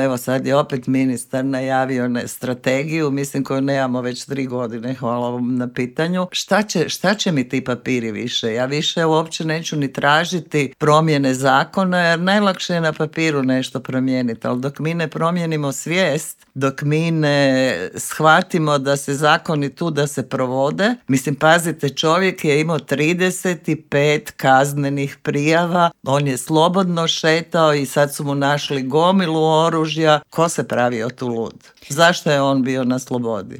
Evo sad je opet ministar najavio strategiju, mislim koju nemamo već 3 godine, hvala vam na pitanju. Šta će mi ti papiri više? Ja više uopće neću ni tražiti promjene zakona, jer najlakše je na papiru nešto promijeniti, ali dok mi ne promijenimo svijest, dok mi ne shvatimo da se zakoni tu da se provode, mislim, pazite, čovjek je imao 35 kaznenih prijava, on je slobodno šetao i sad su mu našli gomilu oružja. Ko se pravio tu lud? Zašto je on bio na slobodi?